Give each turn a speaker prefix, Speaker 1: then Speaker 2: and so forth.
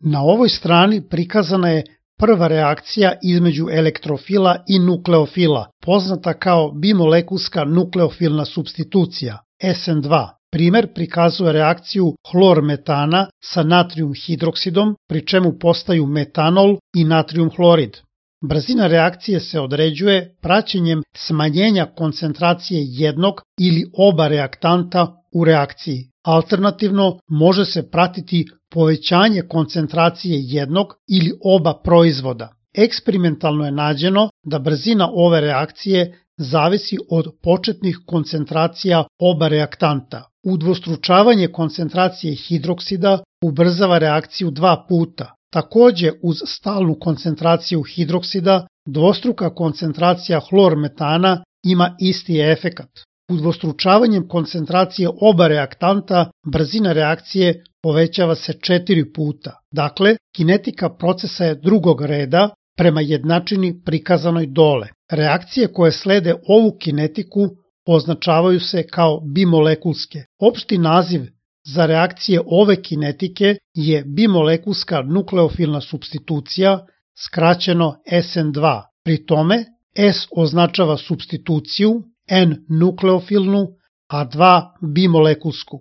Speaker 1: Na ovoj strani prikazana je prva reakcija između elektrofila i nukleofila, poznata kao bimolekulska nukleofilna supstitucija, SN2. Primer prikazuje reakciju hlor-metana sa natrium hidroksidom, pri čemu postaju metanol i natrium hlorid. Brzina reakcije se određuje praćenjem smanjenja koncentracije jednog ili oba reaktanta u reakciji. Alternativno, može se pratiti povećanje koncentracije jednog ili oba proizvoda. Eksperimentalno je nađeno da brzina ove reakcije zavisi od početnih koncentracija oba reaktanta. Udvostručavanje koncentracije hidroksida ubrzava reakciju 2 puta. Takođe, uz stalnu koncentraciju hidroksida, dvostruka koncentracija hlor-metana ima isti efekat. Udvostručavanjem koncentracije oba reaktanta, brzina reakcije povećava se 4 puta. Dakle, kinetika procesa je drugog reda prema jednačini prikazanoj dole. Reakcije koje slede ovu kinetiku označavaju se kao bimolekulske. Opšti naziv za reakcije ove kinetike je bimolekulska nukleofilna supstitucija, skraćeno SN2. Pri tome, S označava supstituciju, N nukleofilnu, a 2 bimolekulsku.